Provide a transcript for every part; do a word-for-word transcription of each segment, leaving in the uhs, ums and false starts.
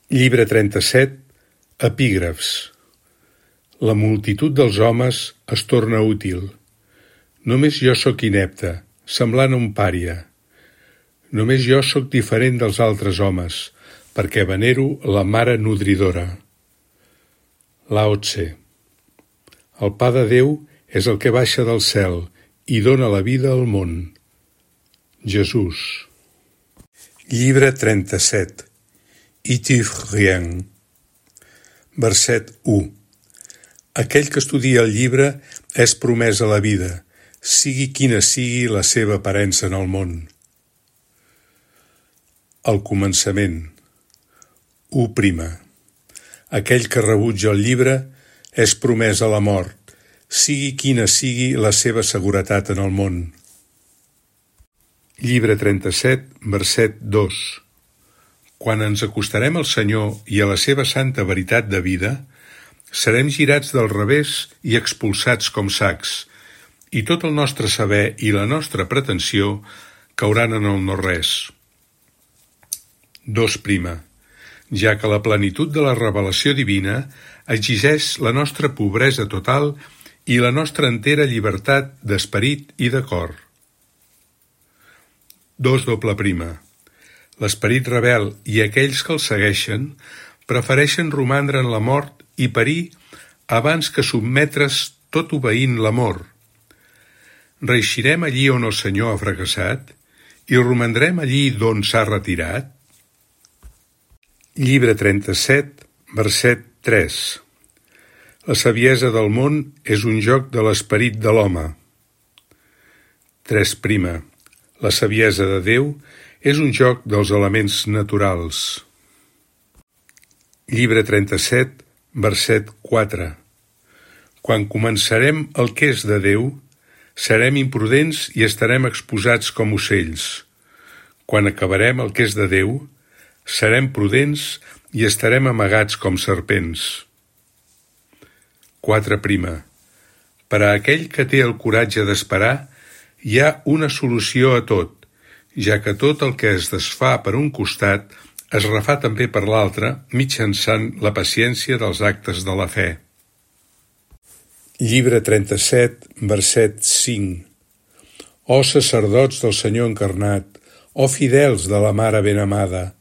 Llibre trenta-set, epígrafs. La multitud dels homes es torna útil. Només jo sóc inepte, semblant a un pària. Només jo sóc diferent dels altres homes, perquè venero la mare nodridora. Lao Tse. El pa de Déu és el que baixa del cel i dóna la vida al món. Jesús. Llibre trenta-set. Ithyrien. Verset u. Aquell que estudia el llibre és promès a la vida, sigui quina sigui la seva aparença en el món. Al començament. u prima. Aquell que rebutja el llibre és promès a la mort, sigui quina sigui la seva seguretat en el món. Llibre trenta-set, verset dos. Quan ens acostarem al Senyor i a la seva santa veritat de vida, serem girats del revés i expulsats com sacs, i tot el nostre saber i la nostra pretensió cauran en el no-res. Dos prima. Ja que la plenitud de la revelació divina exigeix la nostra pobresa total i la nostra entera llibertat d'esperit i de cor. Dos doble prima. L'esperit rebel i aquells que el segueixen prefereixen romandre en la mort i perir abans que sotmetre's tot obeint l'amor. Reeixirem allí on el Senyor ha fracassat i romandrem allí d'on s'ha retirat? Llibre trenta-set, verset tres. La saviesa del món és un joc de l'esperit de l'home. Tres prima. La saviesa de Déu és un joc dels elements naturals. Llibre trenta-set, verset quatre. Quan començarem el que és de Déu, serem imprudents i estarem exposats com ocells. Quan acabarem el que és de Déu, serem prudents i estarem amagats com serpents. Quatre prima. Per a aquell que té el coratge d'esperar, hi ha una solució a tot, ja que tot el que es desfà per un costat es refà també per l'altre mitjançant la paciència dels actes de la fe. Llibre trenta-set, verset cinc. Ó sacerdots del Senyor encarnat, ó fidels de la Mare ben amada,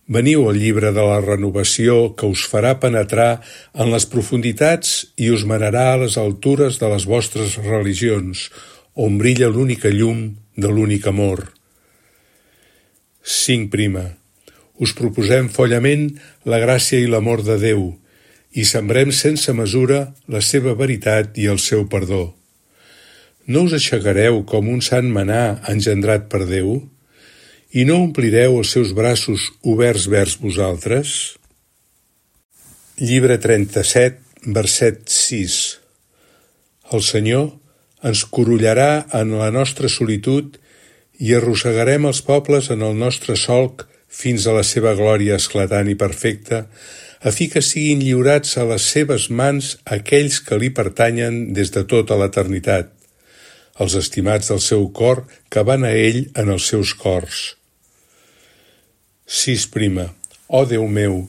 veniu al llibre de la renovació que us farà penetrar en les profunditats i us manarà a les altures de les vostres religions, on brilla l'única llum de l'únic amor. Cinc prima. Us proposem follament la gràcia i l'amor de Déu i sembrem sense mesura la seva veritat i el seu perdó. No us aixecareu com un sant manà engendrat per Déu i no omplireu els seus braços oberts vers vosaltres? Llibre trenta-set, verset sis. El Senyor ens corollarà en la nostra solitud i arrossegarem els pobles en el nostre solc fins a la seva glòria esclatant i perfecta, a fi que siguin lliurats a les seves mans aquells que li pertanyen des de tota l'eternitat, els estimats del seu cor que van a ell en els seus cors. Sis prima. Ó Déu meu,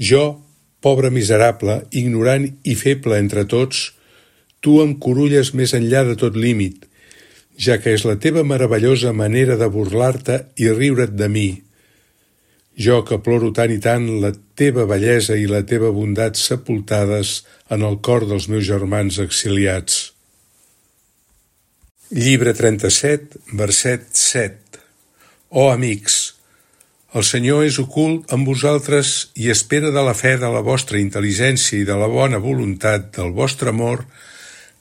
jo, pobre miserable, ignorant i feble entre tots, tu em corulles més enllà de tot límit, ja que és la teva meravellosa manera de burlar-te i riure't de mi. Jo que ploro tant i tant la teva bellesa i la teva bondat sepultades en el cor dels meus germans exiliats. Llibre trenta-set, verset set. Ó amics, el Senyor és ocult amb vosaltres i espera de la fe de la vostra intel·ligència i de la bona voluntat del vostre amor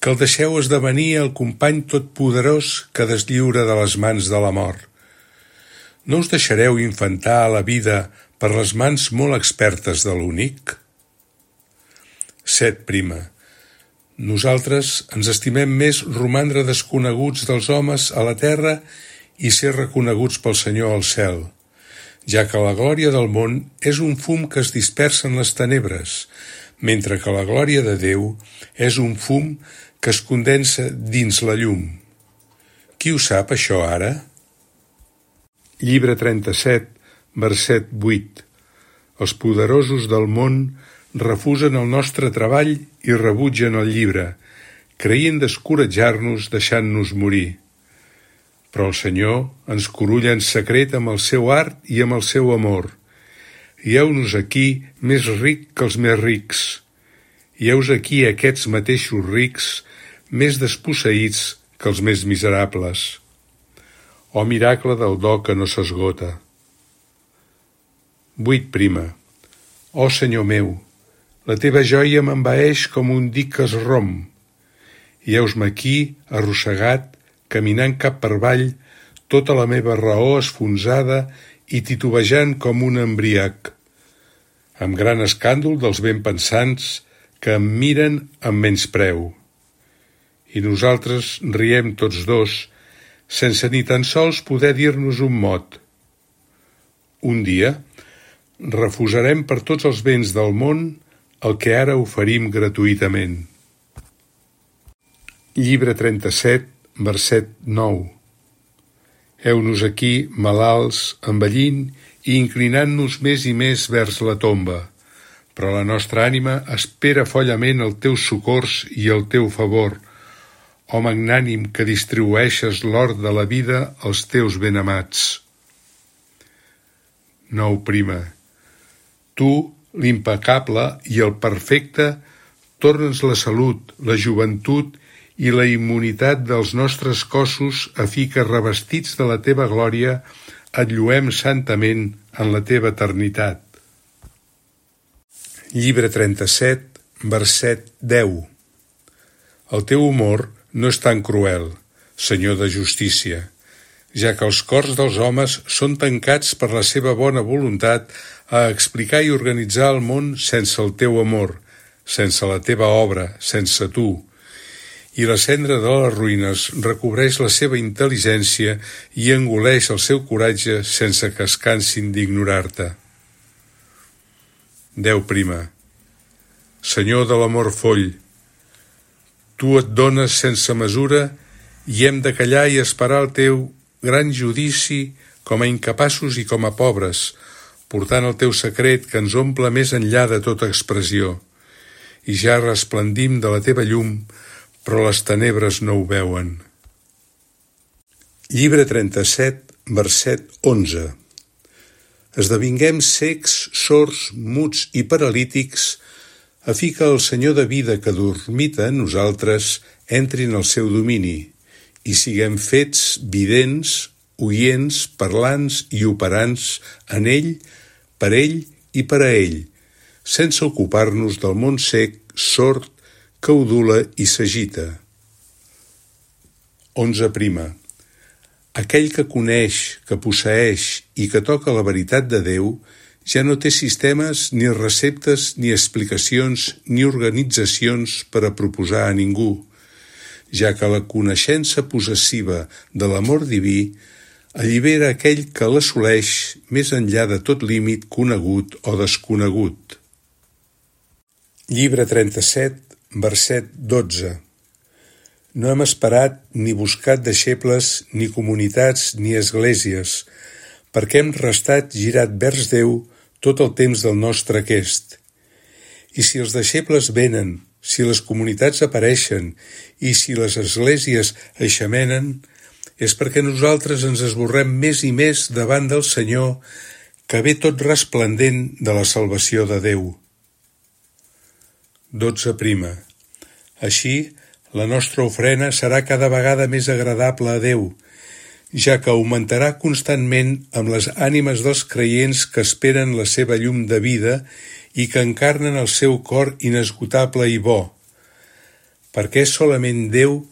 que el deixeu esdevenir el company totpoderós que deslliura de les mans de la mort. No us deixareu infantar a la vida per les mans molt expertes de l'únic? Set prima. Nosaltres ens estimem més romandre desconeguts dels homes a la terra i ser reconeguts pel Senyor al cel, ja que la glòria del món és un fum que es dispersa en les tenebres, mentre que la glòria de Déu és un fum que es condensa dins la llum. Qui ho sap, això, ara? Llibre trenta-set, verset vuit. Els poderosos del món refusen el nostre treball i rebutgen el llibre, creient d'escoratjar-nos deixant-nos morir. Però el Senyor ens corulla en secret amb el seu art i amb el seu amor. I heu-nos aquí més ric que els més rics. I heus aquí aquests mateixos rics més desposseïts que els més miserables. Oh miracle del do que no s'esgota. Vuit prima. Oh Senyor meu, la teva joia m'envaeix com un dic que es romp. I heus-me aquí, arrossegat, caminant cap per avall, tota la meva raó esfonsada i titubejant com un embriac, amb gran escàndol dels ben pensants que em miren amb menyspreu. I nosaltres riem tots dos, sense ni tan sols poder dir-nos un mot. Un dia refusarem per tots els béns del món el que ara oferim gratuïtament. Llibre trenta-set, verset nou. Heu-nos aquí, malalts, envellint i inclinant-nos més i més vers la tomba, però la nostra ànima espera follament el teu socors i el teu favor, oh magnànim que distribueixes l'or de la vida als teus benamats. Nou prima. Tu, l'impecable i el perfecte, torna'ns la salut, la joventut i la immunitat dels nostres cossos a fi que, revestits de la teva glòria, et lluem santament en la teva eternitat. Llibre trenta-set, verset deu. El teu humor no és tan cruel, Senyor de justícia, ja que els cors dels homes són tancats per la seva bona voluntat a explicar i organitzar el món sense el teu amor, sense la teva obra, sense tu. I la cendra de les ruïnes recobreix la seva intel·ligència i engoleix el seu coratge sense que es cansin d'ignorar-te. Deu prima. Senyor de l'amor foll, tu et dones sense mesura i hem de callar i esperar el teu gran judici com a incapaços i com a pobres, portant el teu secret que ens omple més enllà de tota expressió. I ja resplendim de la teva llum, però les tenebres no ho veuen. Llibre trenta-set, verset onze. Esdevinguem cecs, sords, muts i paralítics, a fi que el Senyor de vida que dormita en nosaltres entri en el seu domini, i siguem fets vidents, oients, parlants i operants en ell, per ell i per a ell, sense ocupar-nos del món sec, sord, que udula i s'agita. Onze prima. Aquell que coneix, que posseeix i que toca la veritat de Déu ja no té sistemes, ni receptes, ni explicacions, ni organitzacions per a proposar a ningú, ja que la coneixença possessiva de l'amor diví allibera aquell que l'assoleix més enllà de tot límit conegut o desconegut. Llibre trenta-set, verset dotze. No hem esperat ni buscat deixebles, ni comunitats, ni esglésies, perquè hem restat girat vers Déu tot el temps del nostre aquest. I si els deixebles venen, si les comunitats apareixen i si les esglésies eixamenen, és perquè nosaltres ens esborrem més i més davant del Senyor, que ve tot resplendent de la salvació de Déu. Dotze prima. Així, la nostra ofrena serà cada vegada més agradable a Déu, ja que augmentarà constantment amb les ànimes dels creients que esperen la seva llum de vida i que encarnen el seu cor inesgotable i bo, perquè és solament Déu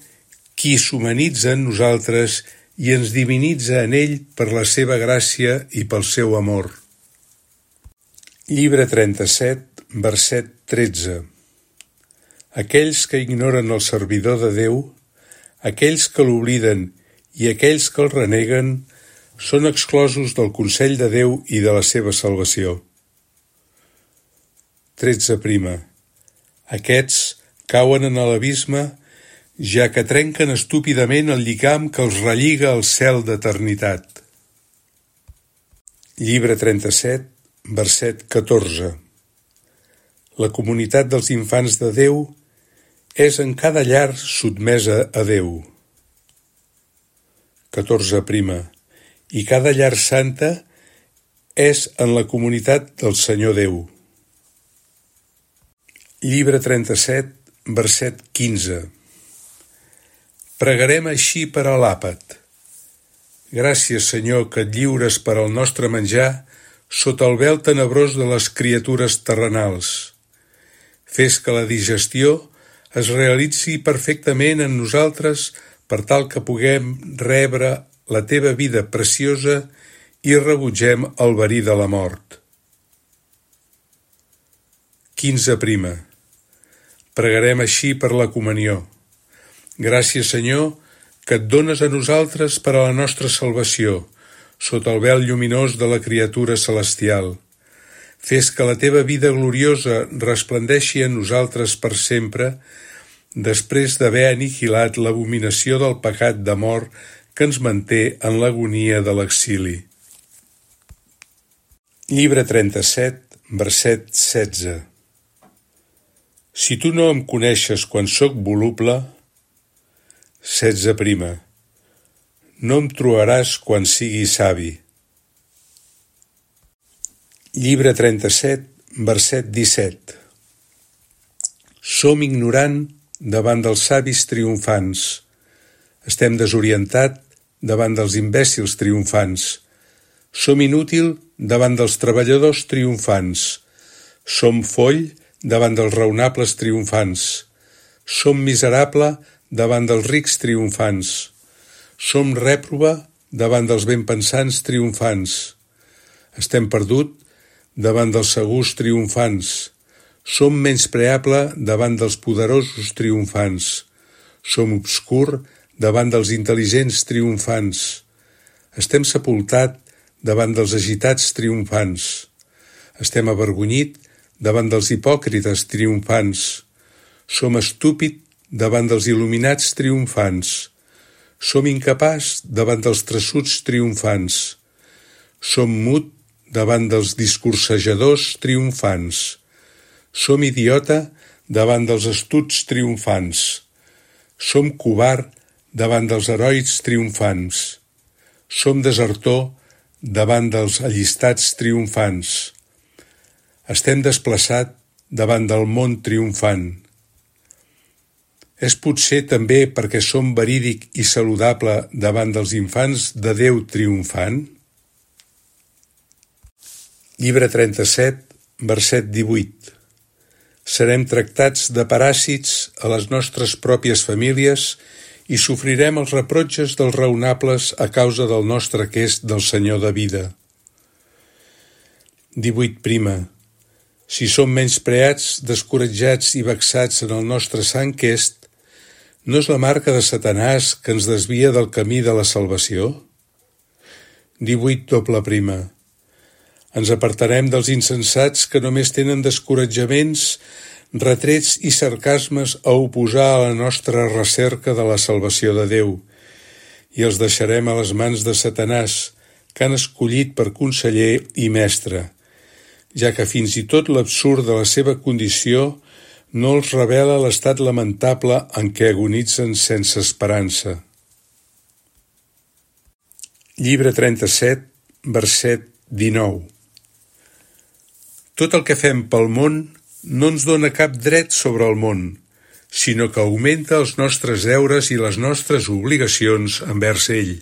qui s'humanitza en nosaltres i ens divinitza en ell per la seva gràcia i pel seu amor. Llibre trenta-set, verset tretze. Aquells que ignoren el servidor de Déu, aquells que l'obliden i aquells que el reneguen, són exclosos del consell de Déu i de la seva salvació. Tretze prima. Aquests cauen en l'abisme, ja que trenquen estúpidament el lligam que els relliga al cel d'eternitat. Llibre trenta-set, verset catorze. La comunitat dels infants de Déu és en cada llar sotmesa a Déu. catorze prima. I cada llar santa és en la comunitat del Senyor Déu. Llibre trenta-set, verset quinze. Pregarem així per a l'àpat. Gràcies, Senyor, que et lliures per al nostre menjar sota el vel tenebrós de les criatures terrenals. Fes que la digestió es realitzi perfectament en nosaltres per tal que puguem rebre la teva vida preciosa i rebutgem el verí de la mort. quinze prima. Pregarem així per la comunió. Gràcies, Senyor, que et dones a nosaltres per a la nostra salvació, sota el vel lluminós de la criatura celestial. Fes que la teva vida gloriosa resplendeixi en nosaltres per sempre, després d'haver aniquilat l'abominació del pecat de mort que ens manté en l'agonia de l'exili. Llibre trenta-set, verset setze. Si tu no em coneixes quan sóc voluble, setze prima. No em trobaràs quan sigui savi. Llibre trenta-set, verset disset. Som ignorant davant dels savis triomfants. Estem desorientat davant dels imbècils triomfants. Som inútil davant dels treballadors triomfants. Som foll davant dels raonables triomfants. Som miserable davant dels rics triomfants. Som rèprova davant dels benpensants triomfants. Estem perdut davant dels segurs triomfants. Som menyspreable davant dels poderosos triomfants. Som obscur davant dels intel·ligents triomfants. Estem sepultat davant dels agitats triomfants. Estem avergonyit davant dels hipòcrites triomfants. Som estúpid davant dels il·luminats triomfants. Som incapaç davant dels traçuts triomfants. Som mut davant dels discursejadors triomfants. Som idiota davant dels astuts triomfants. Som covard davant dels herois triomfants. Som desertor davant dels allistats triomfants. Estem desplaçat davant del món triomfant. És potser també perquè som verídic i saludable davant dels infants de Déu triomfant? Llibre trenta-set, verset divuit. Serem tractats de paràsits a les nostres pròpies famílies i sofrirem els reprotges dels raonables a causa del nostre quest del Senyor de vida. divuit prima. Si som menyspreats, descoratjats i vexats en el nostre sant quest, no és la marca de Satanàs que ens desvia del camí de la salvació? divuit doble prima. Ens apartarem dels insensats que només tenen descoratjaments, retrets i sarcasmes a oposar a la nostra recerca de la salvació de Déu, i els deixarem a les mans de Satanàs, que han escollit per conseller i mestre, ja que fins i tot l'absurd de la seva condició no els revela l'estat lamentable en què agonitzen sense esperança. Llibre trenta-set, verset dinou. Tot el que fem pel món no ens dona cap dret sobre el món, sinó que augmenta els nostres deures i les nostres obligacions envers ell.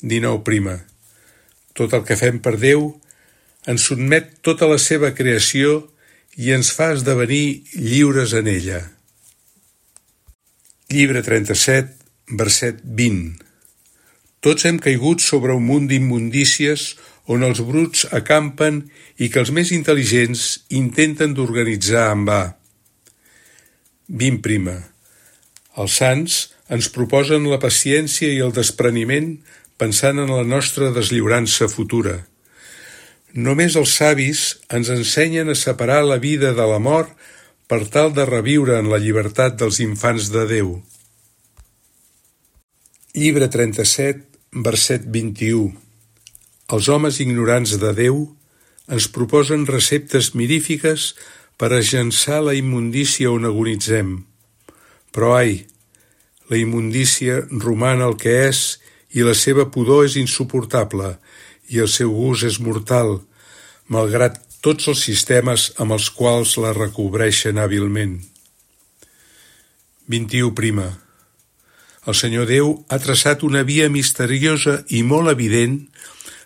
dinou prima. Tot el que fem per Déu ens sotmet tota la seva creació i ens fa esdevenir lliures en ella. Llibre trenta-set, verset vint. Tots hem caigut sobre un munt d'immundícies on els bruts acampen i que els més intel·ligents intenten d'organitzar en va. vint prima. Els sants ens proposen la paciència i el despreniment pensant en la nostra deslliurança futura. Només els savis ens ensenyen a separar la vida de la mort per tal de reviure en la llibertat dels infants de Déu. Llibre trenta-set, verset vint-i-u. Els homes ignorants de Déu ens proposen receptes mirífiques per agençar la immundícia on agonitzem. Però ai, la immundícia roman el que és i la seva pudor és insuportable i el seu gust és mortal, malgrat tots els sistemes amb els quals la recobreixen hàbilment. vint-i-u prima. El Senyor Déu ha traçat una via misteriosa i molt evident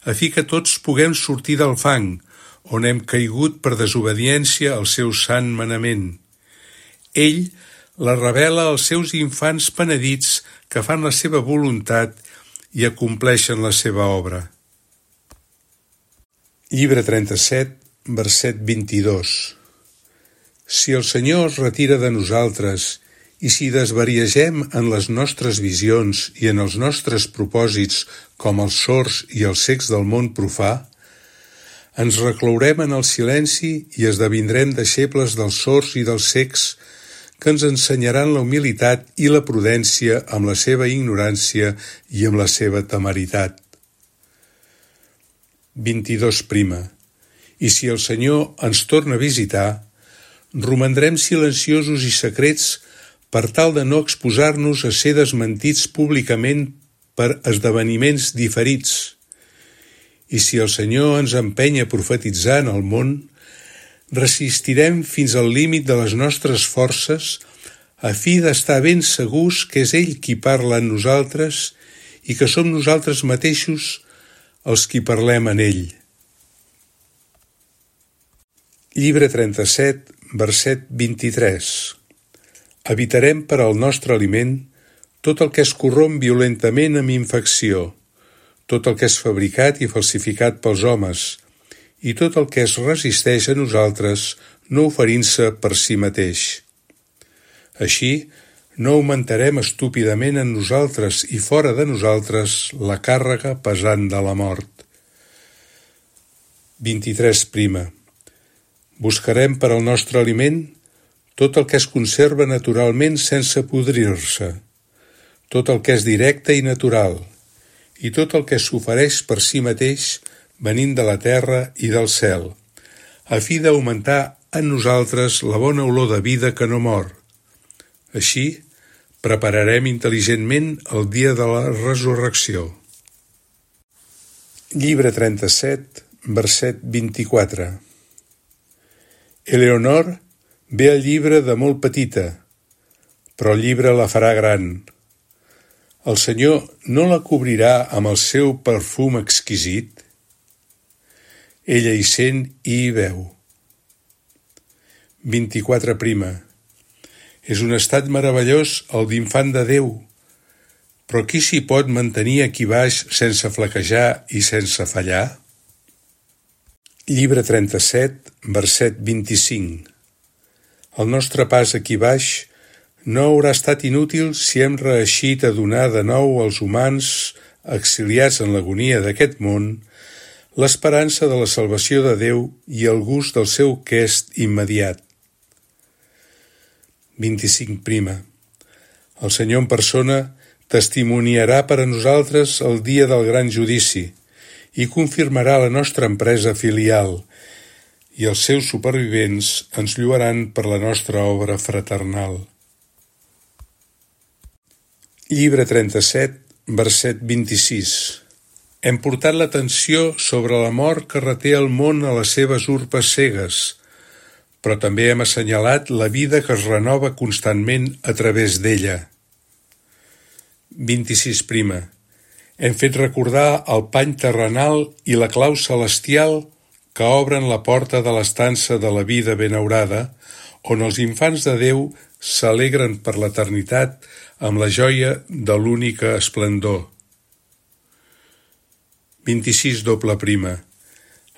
a fi que tots puguem sortir del fang, on hem caigut per desobediència al seu sant manament. Ell la revela als seus infants penedits que fan la seva voluntat i acompleixen la seva obra. Llibre trenta-set, verset vint-i-dos. Si el Senyor es retira de nosaltres i si desvariegem en les nostres visions i en els nostres propòsits com els sords i els cecs del món profà, ens reclourem en el silenci i esdevindrem deixebles dels sords i dels cecs que ens ensenyaran la humilitat i la prudència amb la seva ignorància i amb la seva temeritat. vint-i-dos prima. I si el Senyor ens torna a visitar, romandrem silenciosos i secrets per tal de no exposar-nos a ser desmentits públicament per esdeveniments diferits. I si el Senyor ens empeny a profetitzar en el món, resistirem fins al límit de les nostres forces a fi d'estar ben segurs que és ell qui parla en nosaltres i que som nosaltres mateixos els qui parlem en ell. Llibre trenta-set, verset vint-i-tres. Evitarem per al nostre aliment tot el que es corromp violentament amb infecció, tot el que és fabricat i falsificat pels homes, i tot el que es resisteix a nosaltres no oferint-se per si mateix. Així, no augmentarem estúpidament en nosaltres i fora de nosaltres la càrrega pesant de la mort. vint-i-tres prima. Buscarem per al nostre aliment tot el que es conserva naturalment sense podrir-se, tot el que és directe i natural, i tot el que s'ofereix per si mateix venint de la terra i del cel, a fi d'augmentar en nosaltres la bona olor de vida que no mor. Així, prepararem intel·ligentment el dia de la resurrecció. Llibre trenta-set, verset vint-i-quatre. Eleonor ve al llibre de molt petita, però el llibre la farà gran. El Senyor no la cobrirà amb el seu perfum exquisit? Ella hi sent i hi veu. vint-i-quatre prima. És un estat meravellós el d'infant de Déu, però qui s'hi pot mantenir aquí baix sense flaquejar i sense fallar? Llibre trenta-set, verset vint-i-cinc. El nostre pas aquí baix no haurà estat inútil si hem reeixit a donar de nou als humans, exiliats en l'agonia d'aquest món, l'esperança de la salvació de Déu i el gust del seu quest immediat. vint-i-cinc prima. El Senyor en persona testimoniarà per a nosaltres el dia del gran judici i confirmarà la nostra empresa filial, i els seus supervivents ens lloaran per la nostra obra fraternal. Llibre trenta-set, verset vint-i-sis. Hem portat l'atenció sobre la mort que reté el món a les seves urpes cegues, però també hem assenyalat la vida que es renova constantment a través d'ella. vint-i-sis prima. Hem fet recordar el pany terrenal i la clau celestial que obren la porta de l'estança de la vida benaurada, on els infants de Déu s'alegren per l'eternitat amb la joia de l'única esplendor. vint-i-sis doble prima.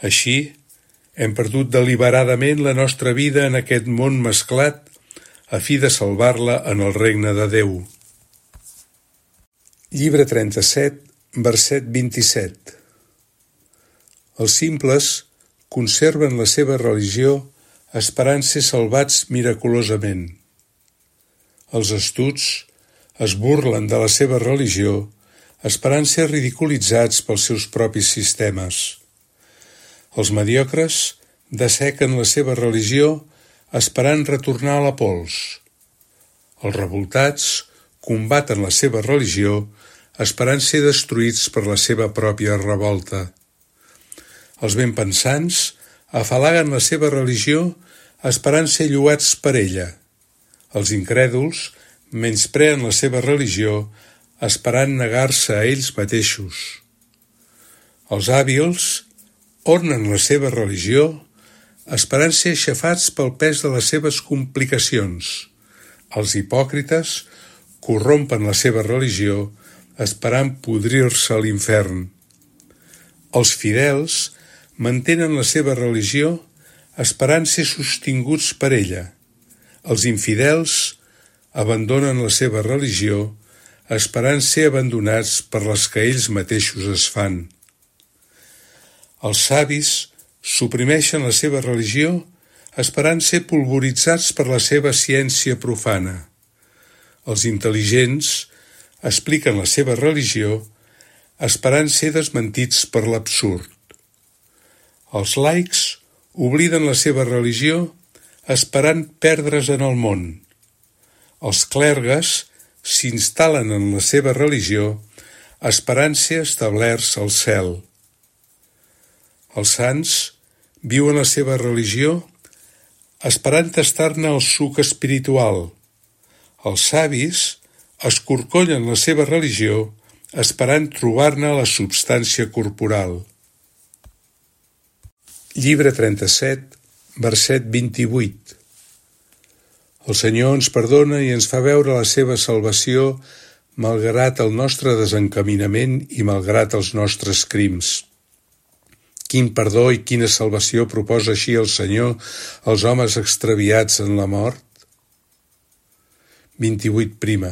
Així, hem perdut deliberadament la nostra vida en aquest món mesclat a fi de salvar-la en el regne de Déu. Llibre trenta-set, verset vint-i-set. Els simples conserven la seva religió esperant ser salvats esperant ser ridiculitzats pels seus propis sistemes. Els mediocres dessequen la seva religió esperant retornar a la pols. Els revoltats combaten la seva religió esperant ser destruïts per la seva pròpia revolta. Els benpensants afalaguen la seva religió esperant ser lloats per ella. Els incrèduls menyspreen la seva religió esperant negar-se a ells mateixos. Els hàbils ornen la seva religió esperant ser aixafats pel pes de les seves complicacions. Els hipòcrites corrompen la seva religió esperant podrir-se a l'infern. Els fidels mantenen la seva religió esperant ser sostinguts per ella. Els infidels abandonen la seva religió esperant ser abandonats per les que ells mateixos es fan. Els savis suprimeixen la seva religió esperant ser polvoritzats per la seva ciència profana. Els intel·ligents expliquen la seva religió esperant ser desmentits per l'absurd. Els laics obliden la seva religió esperant perdre's en el món. Els clergues s'instal·len en la seva religió esperant ser establerts al cel. Els sants viuen la seva religió esperant tastar-ne el suc espiritual. Els savis escorcollen la seva religió esperant trobar-ne la substància corporal. Llibre trenta-set, verset vint-i-vuit. El Senyor ens perdona i ens fa veure la seva salvació malgrat el nostre desencaminament i malgrat els nostres crims. Quin perdó i quina salvació proposa així el Senyor als homes extraviats en la mort? vint-i-vuit prima.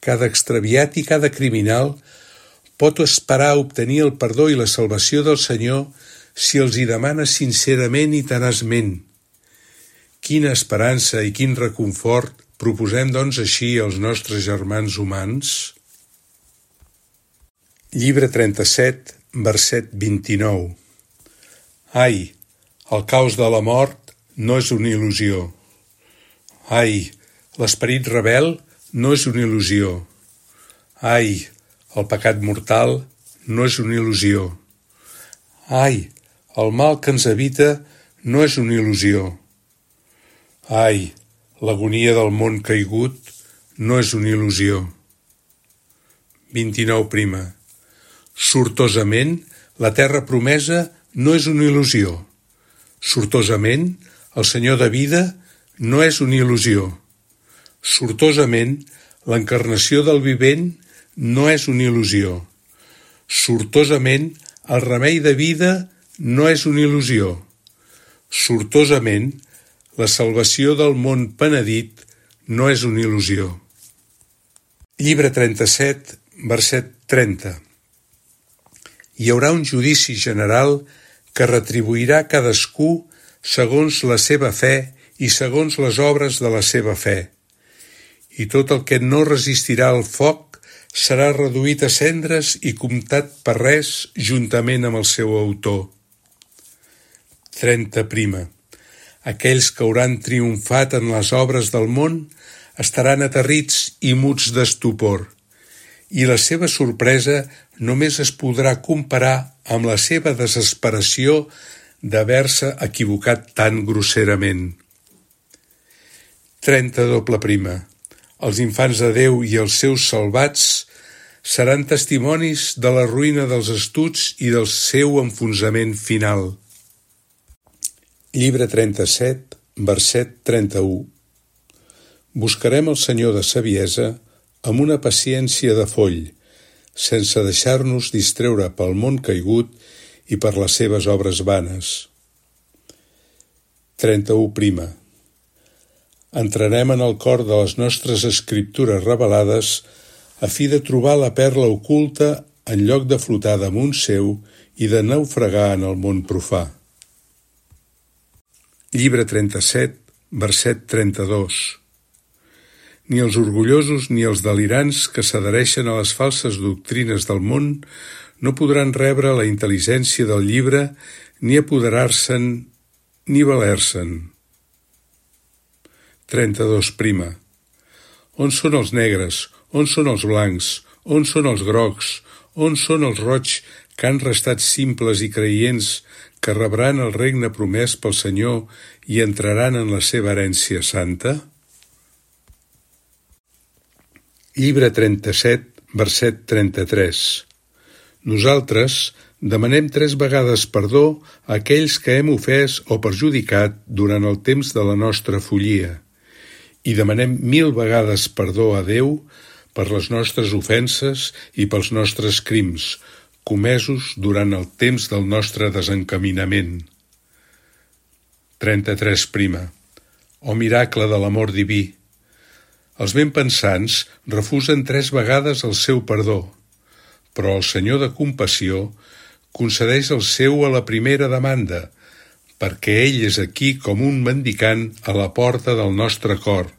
Cada extraviat i cada criminal pot esperar obtenir el perdó i la salvació del Senyor si els hi demana sincerament i tenaçment. Quina esperança i quin reconfort proposem doncs així als nostres germans humans? Llibre trenta-set, verset vint-i-nou. Ai, el caos de la mort no és una il·lusió. Ai, l'esperit rebel no és una il·lusió. Ai, el pecat mortal no és una il·lusió. Ai, el mal que ens habita no és una il·lusió. Ai, l'agonia del món caigut no és una il·lusió. vint-i-nou prima. Sortosament, la terra promesa no és una il·lusió. Sortosament, el Senyor de vida no és una il·lusió. Sortosament, l'encarnació del vivent no és una il·lusió. Sortosament, el remei de vida no és una il·lusió. Sortosament, la salvació del món penedit no és una il·lusió. Llibre trenta-set, verset trenta. Hi haurà un judici general que retribuirà cadascú segons la seva fe i segons les obres de la seva fe. I tot el que no resistirà al foc serà reduït a cendres i comptat per res juntament amb el seu autor. trenta prima. Aquells que hauran triomfat en les obres del món estaran aterrits i muts d'estupor, i la seva sorpresa només es podrà comparar amb la seva desesperació d'haver-se equivocat tan grosserament. trenta doble prima. Els infants de Déu i els seus salvats seran testimonis de la ruïna dels estuds i del seu enfonsament final. Llibre trenta-set, verset trenta-u. Buscarem el Senyor de saviesa amb una paciència de foll, sense deixar-nos distreure pel món caigut i per les seves obres vanes. trenta-u prima. Entrarem en el cor de les nostres escriptures revelades a fi de trobar la perla oculta en lloc de flotar damunt seu i de naufragar en el món profà. Llibre trenta-set, verset trenta-dos. Ni els orgullosos ni els delirants que s'adhereixen a les falses doctrines del món no podran rebre la intel·ligència del llibre ni apoderar-se'n ni valer-se'n. trenta-dos prima. On són els negres? On són els blancs? On són els grocs? On són els roigs que han restat simples i creients que rebran el regne promès pel Senyor i entraran en la seva herència santa? Llibre trenta-set, verset trenta-tres. Nosaltres demanem tres vegades perdó a aquells que hem ofès o perjudicat durant el temps de la nostra follia, i demanem mil vegades perdó a Déu per les nostres ofenses i pels nostres crims, comesos durant el temps del nostre desencaminament. trenta-tres prima. O miracle de l'amor diví! Els ben pensants refusen tres vegades el seu perdó, però el Senyor de compassió concedeix el seu a la primera demanda, perquè ell és aquí com un mendicant a la porta del nostre cor,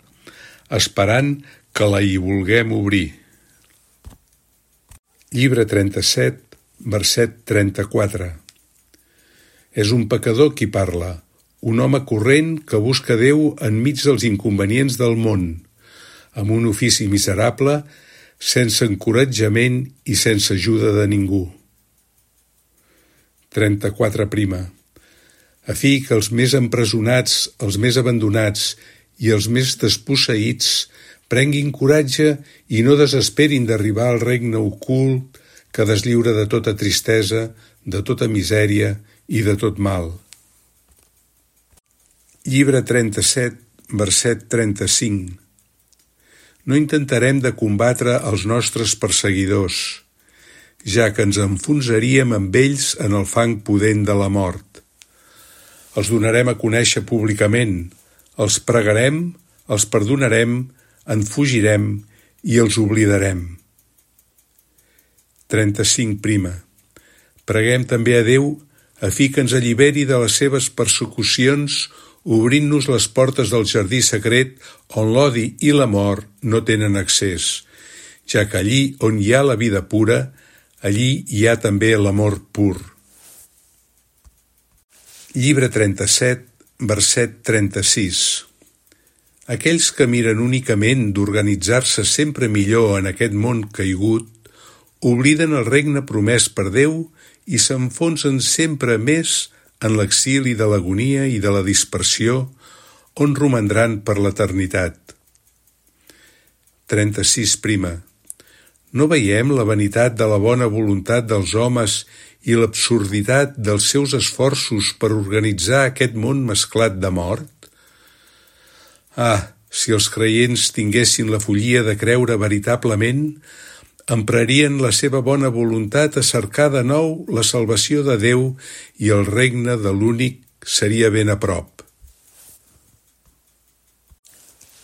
esperant que la hi vulguem obrir. Llibre trenta-set, verset trenta-quatre. És un pecador qui parla, un home corrent que busca Déu enmig dels inconvenients del món, amb un ofici miserable, sense encoratjament i sense ajuda de ningú. trenta-quatre prima. A fi que els més empresonats, els més abandonats i els més desposseïts prenguin coratge i no desesperin d'arribar al regne ocult que deslliura de tota tristesa, de tota misèria i de tot mal. Llibre trenta-set, verset trenta-cinc. No intentarem de combatre els nostres perseguidors, ja que ens enfonsaríem amb ells en el fang pudent de la mort. Els donarem a conèixer públicament, els pregarem, els perdonarem, en fugirem i els oblidarem. trenta-cinc prima. Preguem també a Déu a fi que ens alliberi de les seves persecucions, obrint-nos les portes del jardí secret on l'odi i la mort no tenen accés, ja que allí on hi ha la vida pura, allí hi ha també l'amor pur. Llibre trenta-set, verset trenta-sis. Aquells que miren únicament d'organitzar-se sempre millor en aquest món caigut, obliden el regne promès per Déu i s'enfonsen sempre més en l'exili de l'agonia i de la dispersió, on romandran per l'eternitat. trenta-sis prima. No veiem la vanitat de la bona voluntat dels homes i l'absurditat dels seus esforços per organitzar aquest món mesclat de mort? Ah, si els creients tinguessin la follia de creure veritablement, emprarien la seva bona voluntat a cercar de nou la salvació de Déu i el regne de l'únic seria ben a prop.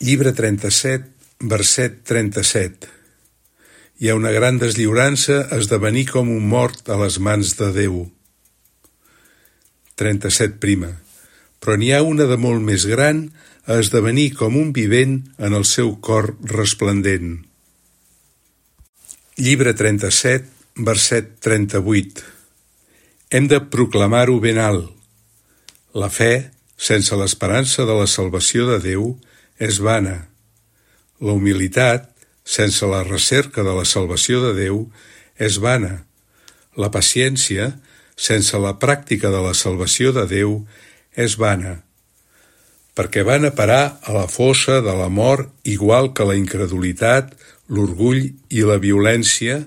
Llibre trenta-set, verset trenta-set. Hi ha una gran deslliurança a esdevenir com un mort a les mans de Déu. trenta-set prima. Però n'hi ha una de molt més gran a esdevenir com un vivent en el seu cor resplendent. Llibre trenta-set, verset trenta-vuit. Hem de proclamar-ho ben alt. La fe, sense l'esperança de la salvació de Déu, és vana. La humilitat, sense la recerca de la salvació de Déu, és vana. La paciència, sense la pràctica de la salvació de Déu, és vana. Perquè van a parar a la fossa de la mort igual que la incredulitat, l'orgull i la violència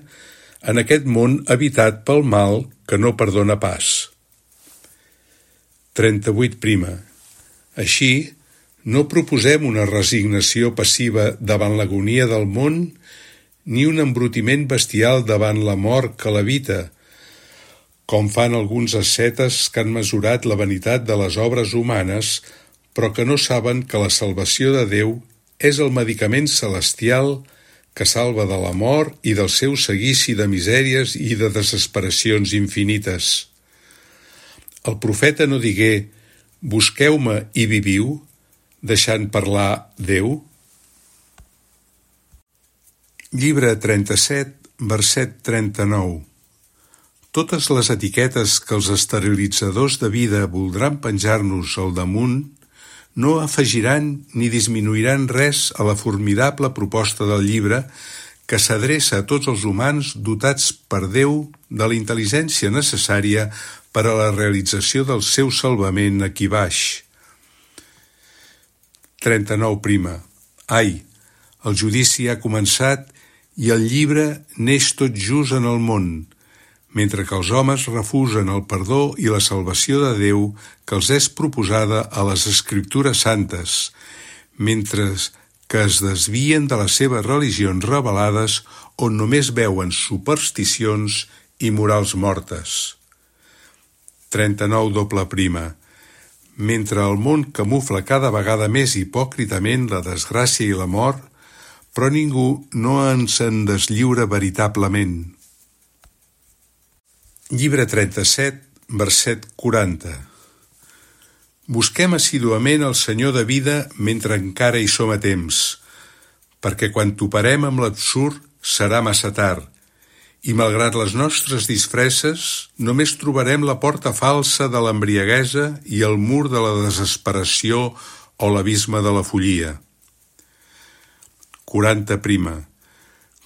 en aquest món habitat pel mal que no perdona pas. trenta-vuit prima. Així, no proposem una resignació passiva davant l'agonia del món ni un embrutiment bestial davant la mort que l'habita, com fan alguns ascetes que han mesurat la vanitat de les obres humanes, però que no saben que la salvació de Déu és el medicament celestial que salva de la mort i del seu seguici de misèries i de desesperacions infinites. El profeta no digué, busqueu-me i viviu, deixant parlar Déu? Llibre trenta-set, verset trenta-nou. Totes les etiquetes que els esterilitzadors de vida voldran penjar-nos al damunt no afegiran ni disminuiran res a la formidable proposta del llibre que s'adreça a tots els humans dotats per Déu de la intel·ligència necessària per a la realització del seu salvament aquí baix. trenta-nou prima. Ai, el judici ha començat i el llibre neix tot just en el món, mentre que els homes refusen el perdó i la salvació de Déu que els és proposada a les Escriptures santes, mentre que es desvien de les seves religions revelades on només veuen supersticions i morals mortes. trenta-nou doble prima. Mentre el món camufla cada vegada més hipòcritament la desgràcia i la mort, però ningú no ens en deslliura veritablement. Llibre trenta-set, verset quaranta. Busquem assíduament el Senyor de vida mentre encara hi som a temps, perquè quan toparem amb l'absurd serà massa tard, i malgrat les nostres disfresses, només trobarem la porta falsa de l'embriaguesa i el mur de la desesperació o l'abisme de la follia. quaranta prima.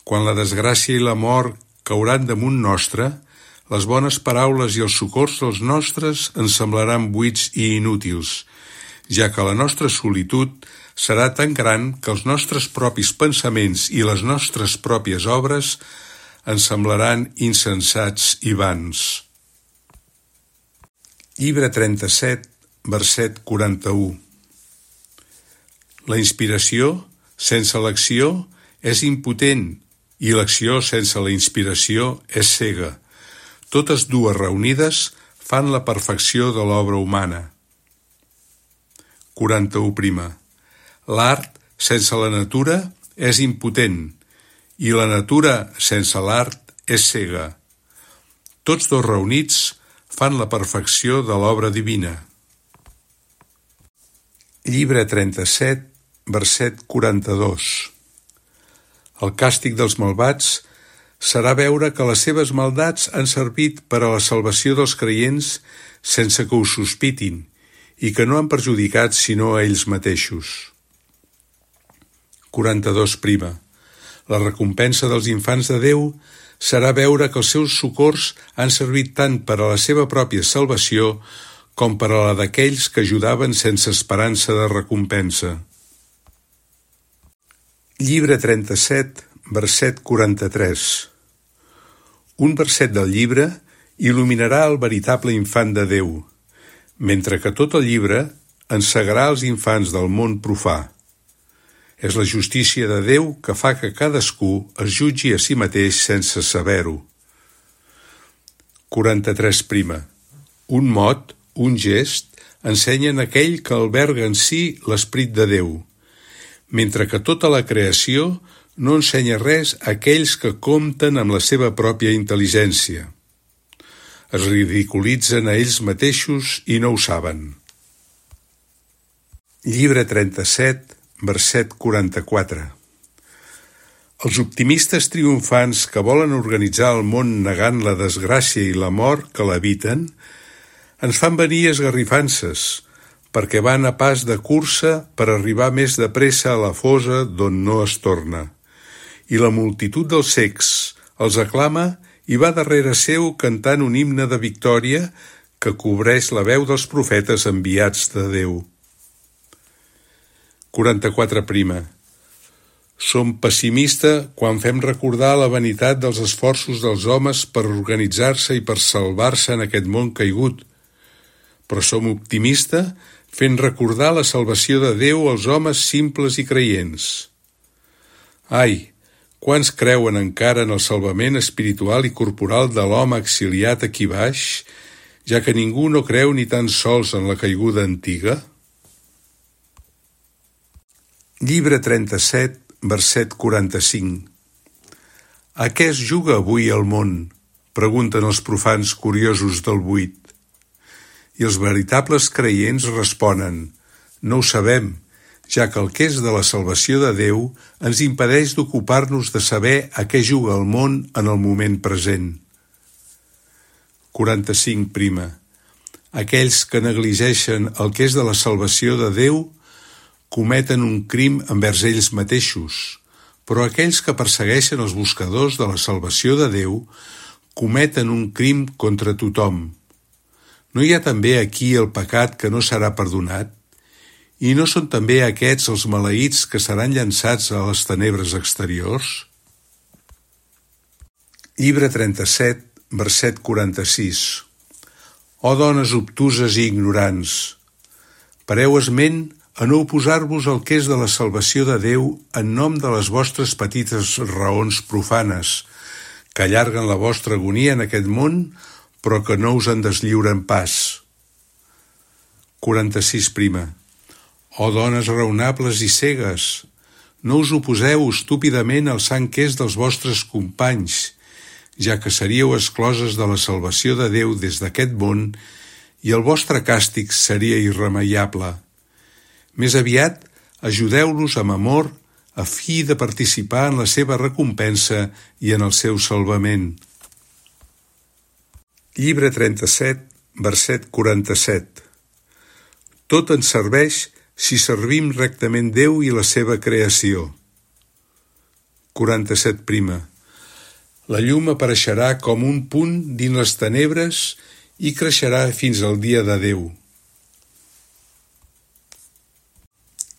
Quan la desgràcia i la mort cauran damunt nostre, les bones paraules i els socors dels nostres ens semblaran buits i inútils, ja que la nostra solitud serà tan gran que els nostres propis pensaments i les nostres pròpies obres ens semblaran insensats i vans. Llibre trenta-set, verset quaranta-u. La inspiració, sense l'acció, és impotent, i l'acció sense la inspiració és cega. Totes dues reunides fan la perfecció de l'obra humana. quaranta-u prima. L'art sense la natura és impotent, i la natura sense l'art és cega. Tots dos reunits fan la perfecció de l'obra divina. Llibre trenta-set, verset quaranta-dos. El càstig dels malvats serà veure que les seves maldats han servit per a la salvació dels creients sense que ho sospitin i que no han perjudicat sinó a ells mateixos. quaranta-dos prima. La recompensa dels infants de Déu serà veure que els seus socors han servit tant per a la seva pròpia salvació com per a la d'aquells que ajudaven sense esperança de recompensa. Llibre trenta-set, verset quaranta-tres. Un verset del llibre il·luminarà el veritable infant de Déu, mentre que tot el llibre encegarà els infants del món profà. És la justícia de Déu que fa que cadascú es jutgi a si mateix sense saber-ho. quaranta-tres prima. Un mot, un gest, ensenyen aquell que alberga en si l'esperit de Déu, mentre que tota la creació no ensenya res a aquells que compten amb la seva pròpia intel·ligència. Es ridiculitzen a ells mateixos i no ho saben. Llibre trenta-set, verset quaranta-quatre. Els optimistes triomfants que volen organitzar el món negant la desgràcia i la mort que l'habiten ens fan venir esgarrifances, perquè van a pas de cursa per arribar més de pressa a la fosa d'on no es torna. I la multitud dels cecs els aclama i va darrere seu cantant un himne de victòria que cobreix la veu dels profetes enviats de Déu. quaranta-quatre prima. Som pessimista quan fem recordar la vanitat dels esforços dels homes per organitzar-se i per salvar-se en aquest món caigut, però som optimista fent recordar la salvació de Déu als homes simples i creients. Ai, quants creuen encara en el salvament espiritual i corporal de l'home exiliat aquí baix, ja que ningú no creu ni tan sols en la caiguda antiga? Llibre trenta-set, verset quaranta-cinc. A què es juga avui el món? Pregunten els profans curiosos del buit. I els veritables creients responen: no ho sabem, ja que el que és de la salvació de Déu ens impedeix d'ocupar-nos de saber a què juga el món en el moment present. quaranta-cinc. Aquells que negligeixen el que és de la salvació de Déu cometen un crim envers ells mateixos, però aquells que persegueixen els buscadors de la salvació de Déu cometen un crim contra tothom. No hi ha també aquí el pecat que no serà perdonat? I no són també aquests els maleïts que seran llançats a les tenebres exteriors? Llibre trenta-set, verset quaranta-sis. Ó dones obtuses i ignorants, pareu esment a no oposar-vos al que és de la salvació de Déu en nom de les vostres petites raons profanes, que allarguen la vostra agonia en aquest món, però que no us en deslliuren pas. quaranta-sis. Ó dones raonables i cegues, no us oposeu estúpidament al sant que és dels vostres companys, ja que seríeu excloses de la salvació de Déu des d'aquest món i el vostre càstig seria irremeiable. Més aviat, ajudeu-los amb amor a fi de participar en la seva recompensa i en el seu salvament. Llibre trenta-set, verset quaranta-set. Tot ens serveix si servim rectament Déu i la seva creació. quaranta-set. La llum apareixerà com un punt dins les tenebres i creixerà fins al dia de Déu.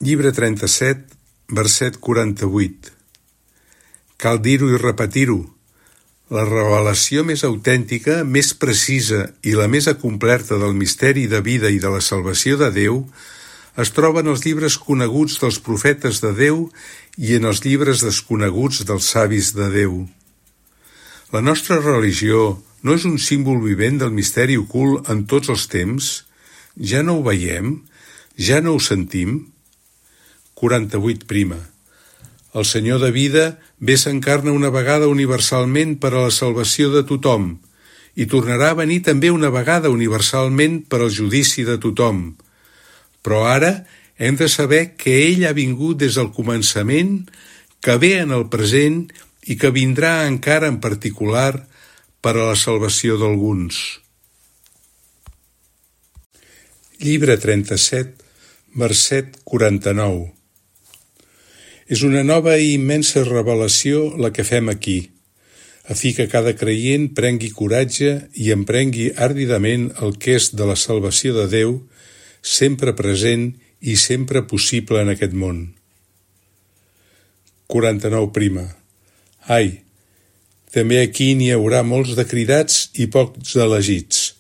Llibre trenta-set, verset quaranta-vuit. Cal dir-ho i repetir-ho. La revelació més autèntica, més precisa i la més acomplerta del misteri de vida i de la salvació de Déu es troba en els llibres coneguts dels profetes de Déu i en els llibres desconeguts dels savis de Déu. La nostra religió no és un símbol vivent del misteri ocult en tots els temps? Ja no ho veiem? Ja no ho sentim? quaranta-vuit. El Senyor de vida ve s'encarna una vegada universalment per a la salvació de tothom i tornarà a venir també una vegada universalment per al judici de tothom. Però ara hem de saber que ell ha vingut des del començament, que ve en el present i que vindrà encara en particular per a la salvació d'alguns. Llibre trenta-set, verset quaranta-nou. És una nova i immensa revelació la que fem aquí, a fi que cada creient prengui coratge i emprengui àrdidament el que és de la salvació de Déu, sempre present i sempre possible en aquest món. quaranta-nou. Ai, també aquí n'hi haurà molts de cridats i pocs elegits,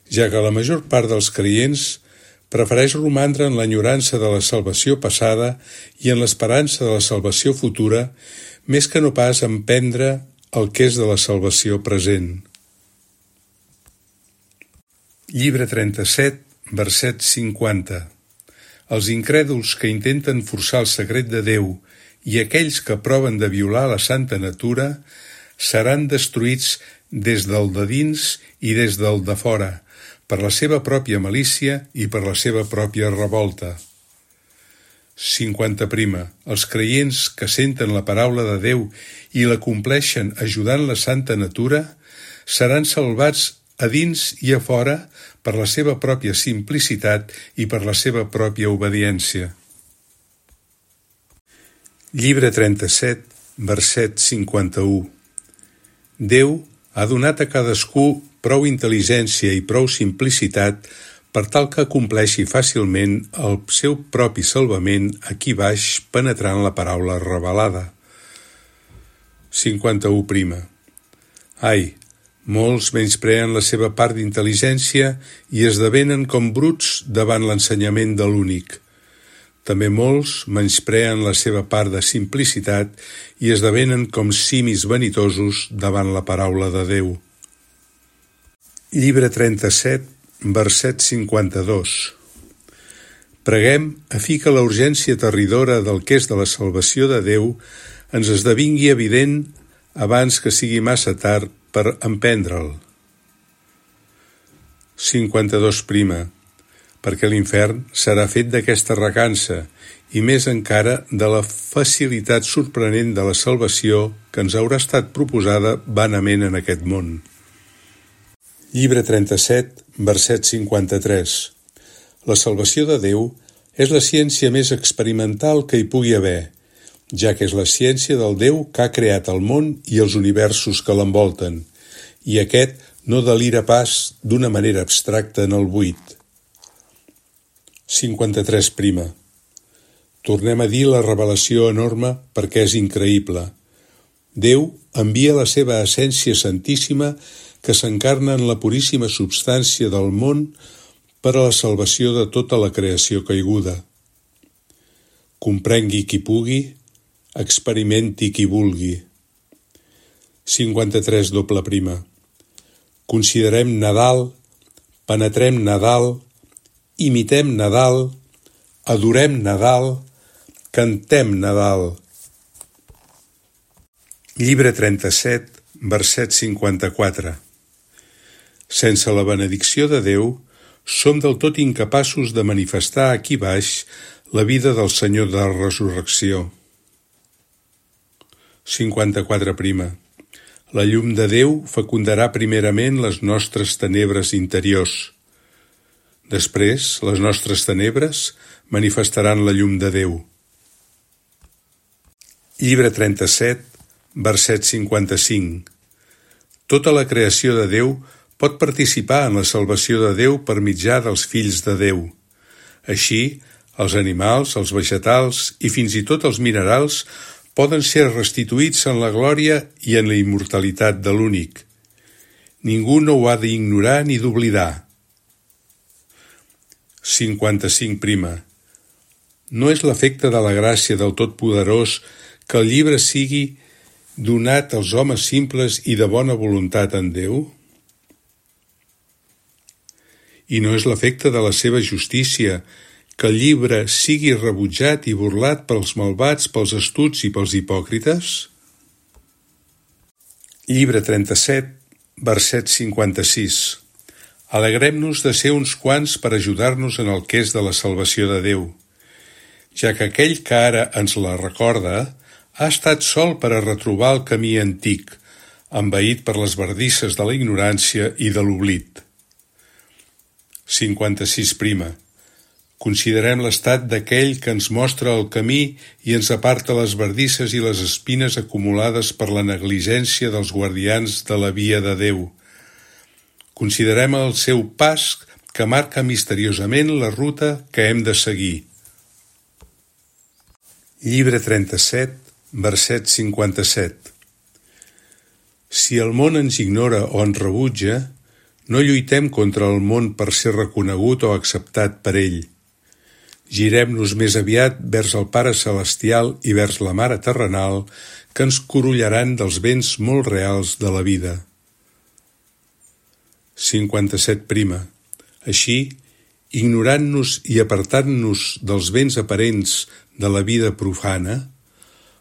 ja que la major part dels creients prefereix romandre en l'enyorança de la salvació passada i en l'esperança de la salvació futura, més que no pas emprendre el que és de la salvació present. Llibre trenta-set, verset cinquanta. Els incrèduls que intenten forçar el secret de Déu i aquells que proven de violar la santa natura seran destruïts des del de dins i des del de fora, per la seva pròpia malícia i per la seva pròpia revolta. cinquanta. Els creients que senten la paraula de Déu i la compleixen ajudant la santa natura seran salvats a dins i a fora per la seva pròpia simplicitat i per la seva pròpia obediència. Llibre trenta-set, verset cinquanta-u. Déu ha donat a cadascú prou intel·ligència i prou simplicitat per tal que compleixi fàcilment el seu propi salvament aquí baix penetrant la paraula revelada. cinquanta-u. Ai, molts menyspreen la seva part d'intel·ligència i esdevenen com bruts davant l'ensenyament de l'únic. També molts menyspreen la seva part de simplicitat i esdevenen com simis vanitosos davant la paraula de Déu. Llibre trenta-set, verset cinquanta-dos. Preguem a fi que la urgència terridora del que és de la salvació de Déu ens esdevingui evident abans que sigui massa tard per emprendre'l. cinquanta-dos. perquè l'infern serà fet d'aquesta recança i més encara de la facilitat sorprenent de la salvació que ens haurà estat proposada vanament en aquest món. Llibre trenta-set, verset cinquanta-tres. La salvació de Déu és la ciència més experimental que hi pugui haver, ja que és la ciència del Déu que ha creat el món i els universos que l'envolten, i aquest no delira pas d'una manera abstracta en el buit. cinquanta-tres prima. Tornem a dir la revelació enorme perquè és increïble. Déu envia la seva essència santíssima que s'encarna en la puríssima substància del món per a la salvació de tota la creació caiguda. Comprengui qui pugui, experimenti qui vulgui. cinquanta-tres doble prima. Considerem Nadal, penetrem Nadal, imitem Nadal, adorem Nadal, cantem Nadal. Llibre trenta-set, verset cinquanta-quatre. Sense la benedicció de Déu, som del tot incapaços de manifestar aquí baix la vida del Senyor de la resurrecció. cinquanta-quatre prima. La llum de Déu fecundarà primerament les nostres tenebres interiors. Després, les nostres tenebres manifestaran la llum de Déu. Llibre trenta-set, verset cinquanta-cinc. Tota la creació de Déu pot participar en la salvació de Déu per mitjà dels fills de Déu. Així, els animals, els vegetals i fins i tot els minerals poden ser restituïts en la glòria i en la immortalitat de l'únic. Ningú no ho ha d'ignorar ni d'oblidar. cinquanta-cinc prima. No és l'efecte de la gràcia del Totpoderós que el llibre sigui donat als homes simples i de bona voluntat en Déu? I no és l'efecte de la seva justícia que el llibre sigui rebutjat i burlat pels malvats, pels astuts i pels hipòcrites? Llibre trenta-set, verset cinquanta-sis. Alegrem-nos de ser uns quants per ajudar-nos en el que és de la salvació de Déu, ja que aquell que ara ens la recorda ha estat sol per a retrobar el camí antic, envaït per les bardisses de la ignorància i de l'oblit. cinquanta-sis prima. Considerem l'estat d'aquell que ens mostra el camí i ens aparta les bardisses i les espines acumulades per la negligència dels guardians de la via de Déu. Considerem el seu pas que marca misteriosament la ruta que hem de seguir. Llibre trenta-set, verset cinquanta-set. Si el món ens ignora o ens rebutja, no lluitem contra el món per ser reconegut o acceptat per ell. Girem-nos més aviat vers el Pare Celestial i vers la Mare terrenal que ens corollaran dels béns molt reals de la vida. cinquanta-set prima. Així, ignorant-nos i apartant-nos dels béns aparents de la vida profana,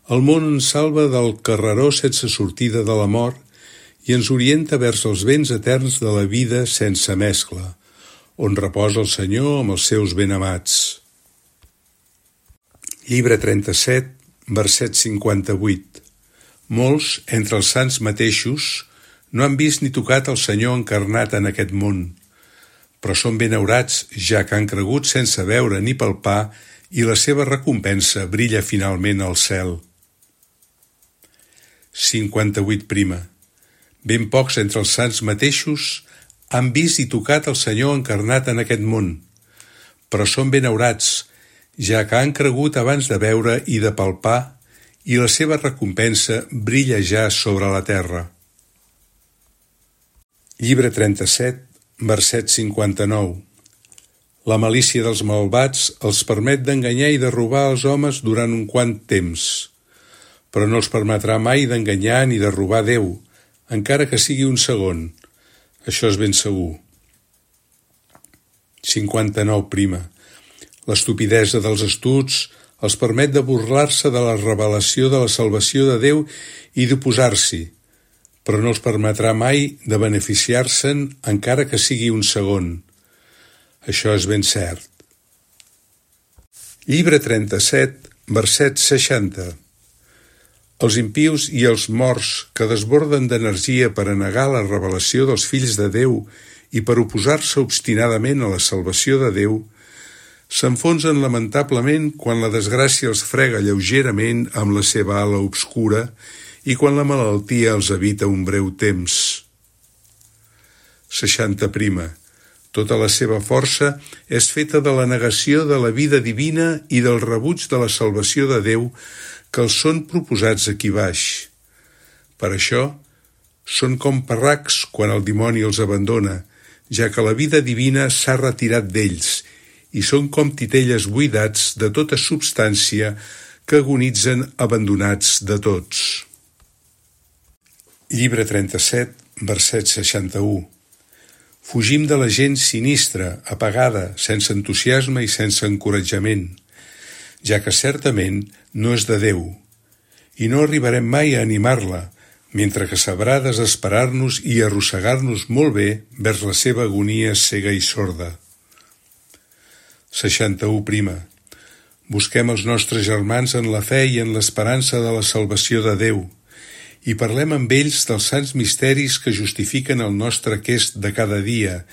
el món ens salva del carreró sense sortida de la mort i ens orienta vers els béns eterns de la vida sense mescla, on reposa el Senyor amb els seus benamats. Llibre trenta-set, verset cinquanta-vuit. Molts, entre els sants mateixos, no han vist ni tocat el Senyor encarnat en aquest món, però són benaurats ja que han cregut sense veure ni palpar i la seva recompensa brilla finalment al cel. cinquanta-vuit prima. Ben pocs entre els sants mateixos han vist i tocat el Senyor encarnat en aquest món, però són benaurats, ja que han cregut abans de veure i de palpar, i la seva recompensa brilla ja sobre la terra. Llibre trenta-set, verset cinquanta-nou. La malícia dels malvats els permet d'enganyar i de robar els homes durant un quant temps, però no els permetrà mai d'enganyar ni de robar Déu, encara que sigui un segon. Això és ben segur. cinquanta-nou prima. L'estupidesa dels astuts els permet de burlar-se de la revelació de la salvació de Déu i d'oposar-s'hi, però no els permetrà mai de beneficiar-se'n encara que sigui un segon. Això és ben cert. Llibre trenta-set, verset seixanta. Els impius i els morts que desborden d'energia per a negar la revelació dels fills de Déu i per oposar-se obstinadament a la salvació de Déu, s'enfonsen lamentablement quan la desgràcia els frega lleugerament amb la seva ala obscura i quan la malaltia els habita un breu temps. seixanta prima. Tota la seva força és feta de la negació de la vida divina i del rebuig de la salvació de Déu que els són proposats aquí baix. Per això, són com parracs quan el dimoni els abandona, ja que la vida divina s'ha retirat d'ells, i són com titelles buidats de tota substància que agonitzen abandonats de tots. Llibre trenta-set, verset seixanta-u. Fugim de la gent sinistra, apagada, sense entusiasme i sense encoratjament, ja que certament no és de Déu, i no arribarem mai a animar-la, mentre que sabrà desesperar-nos i arrossegar-nos molt bé vers la seva agonia cega i sorda. seixanta-u prima. Busquem els nostres germans en la fe i en l'esperança de la salvació de Déu, i parlem amb ells dels sants misteris que justifiquen el nostre quest de cada dia,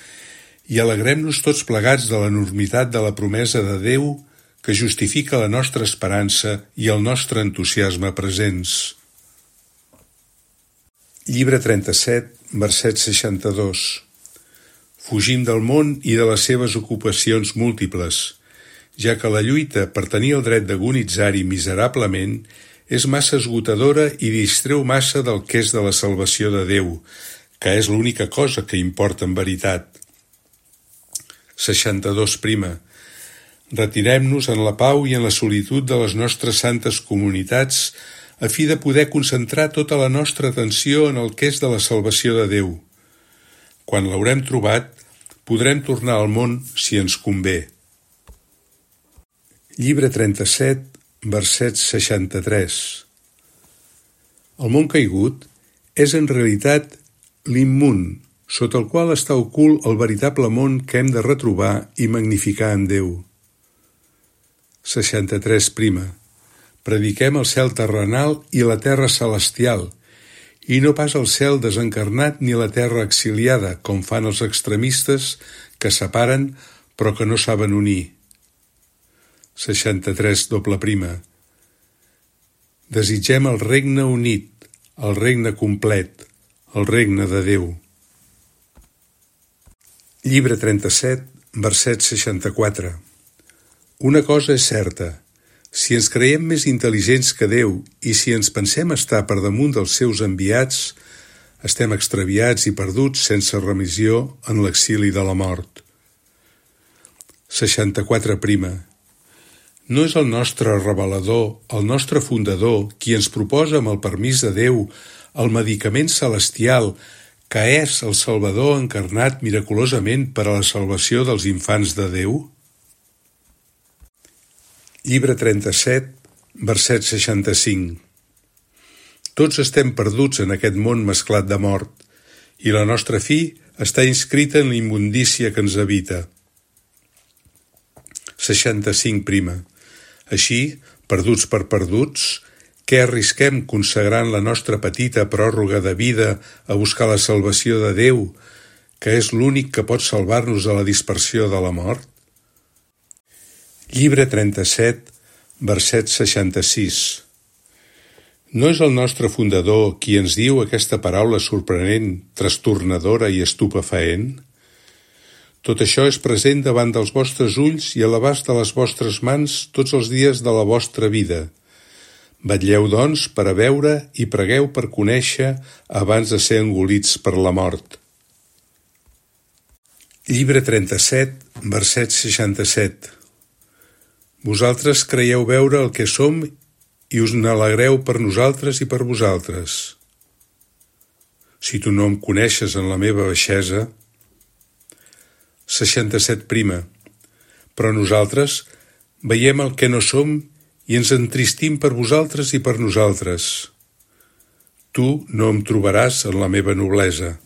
i alegrem-nos tots plegats de l'enormitat de la promesa de Déu que justifica la nostra esperança i el nostre entusiasme presents. Llibre trenta-set, verset seixanta-dos. Fugim del món i de les seves ocupacions múltiples, ja que la lluita per tenir el dret d'agonitzar-hi miserablement és massa esgotadora i distreu massa del que és de la salvació de Déu, que és l'única cosa que importa en veritat. seixanta-dos prima. Retirem-nos en la pau i en la solitud de les nostres santes comunitats a fi de poder concentrar tota la nostra atenció en el que és de la salvació de Déu. Quan l'haurem trobat, podrem tornar al món si ens convé. Llibre trenta-set, verset seixanta-tres. El món caigut és en realitat l'immun, sota el qual està ocult el veritable món que hem de retrobar i magnificar en Déu. seixanta-tres prima. Prediquem el cel terrenal i la terra celestial, i no pas el cel desencarnat ni la terra exiliada, com fan els extremistes que separen però que no saben unir. seixanta-tres doble prima. Desitgem el regne unit, el regne complet, el regne de Déu. Llibre trenta-set, verset seixanta-quatre. Una cosa és certa, si ens creiem més intel·ligents que Déu i si ens pensem estar per damunt dels seus enviats, estem extraviats i perduts sense remissió en l'exili de la mort. seixanta-quatre prima. No és el nostre revelador, el nostre fundador, qui ens proposa amb el permís de Déu el medicament celestial que és el Salvador encarnat miraculosament per a la salvació dels infants de Déu? Llibre trenta-set, verset seixanta-cinc. Tots estem perduts en aquest món mesclat de mort, i la nostra fi està inscrita en la immundícia que ens habita. seixanta-cinc prima. Així, perduts per perduts, què arrisquem consagrant la nostra petita pròrroga de vida a buscar la salvació de Déu, que és l'únic que pot salvar-nos de la dispersió de la mort? Llibre trenta-set, verset seixanta-sis. No és el nostre fundador qui ens diu aquesta paraula sorprenent, trastornadora i estupefaent? Tot això és present davant dels vostres ulls i a l'abast de les vostres mans tots els dies de la vostra vida. Vetlleu, doncs, per a veure i pregueu per conèixer abans de ser engolits per la mort. Llibre trenta-set, verset seixanta-set. Vosaltres creieu veure el que som i us n'alegreu per nosaltres i per vosaltres. Si tu no em coneixes en la meva baixesa, seixanta-set prima. Però nosaltres veiem el que no som i ens entristim per vosaltres i per nosaltres. Tu no em trobaràs en la meva noblesa.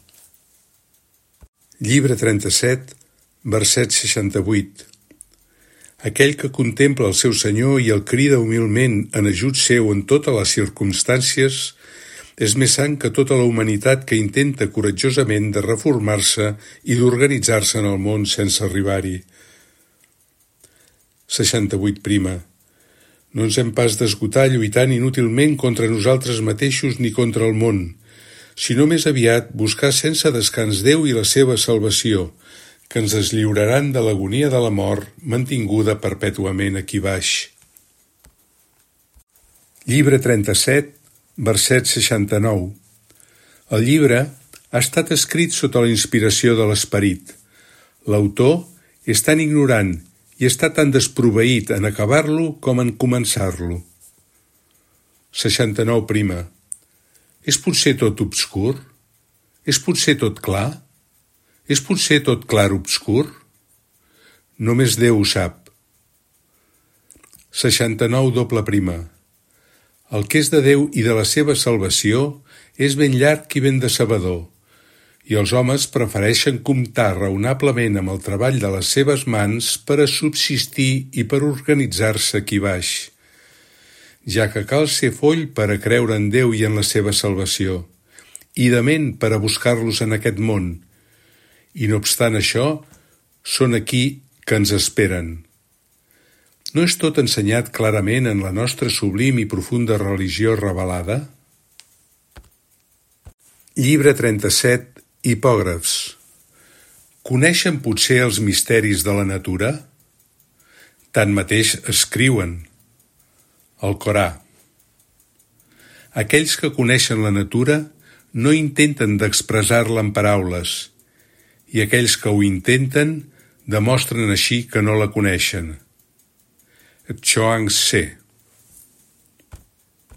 Llibre trenta-set, verset seixanta-vuit. Aquell que contempla el seu Senyor i el crida humilment en ajut seu en totes les circumstàncies és més sant que tota la humanitat que intenta coratjosament de reformar-se i d'organitzar-se en el món sense arribar-hi. seixanta-vuit prima. No ens hem pas d'esgotar lluitant inútilment contra nosaltres mateixos ni contra el món, sinó més aviat buscar sense descans Déu i la seva salvació, que ens deslliuraran de l'agonia de la mort mantinguda perpètuament aquí baix. Llibre trenta-set, verset seixanta-nou. El llibre ha estat escrit sota la inspiració de l'Esperit. L'autor és tan ignorant i està tan desproveït en acabar-lo com en començar-lo. seixanta-nou prima. És potser tot obscur? És potser tot clar? És potser tot clar obscur? Només Déu ho sap. seixanta-nou doble prima. El que és de Déu i de la seva salvació és ben llarg i ben decebedor, i els homes prefereixen comptar raonablement amb el treball de les seves mans per a subsistir i per organitzar-se aquí baix, ja que cal ser foll per a creure en Déu i en la seva salvació, i de ment per a buscar-los en aquest món, i no obstant això, són aquí que ens esperen. No és tot ensenyat clarament en la nostra sublim i profunda religió revelada? Llibre trenta-set, Hipògrafs. Coneixen potser els misteris de la natura? Tanmateix escriuen. El Corà. Aquells que coneixen la natura no intenten d'expressar-la en paraules, i aquells que ho intenten demostren així que no la coneixen. Chuang Tse.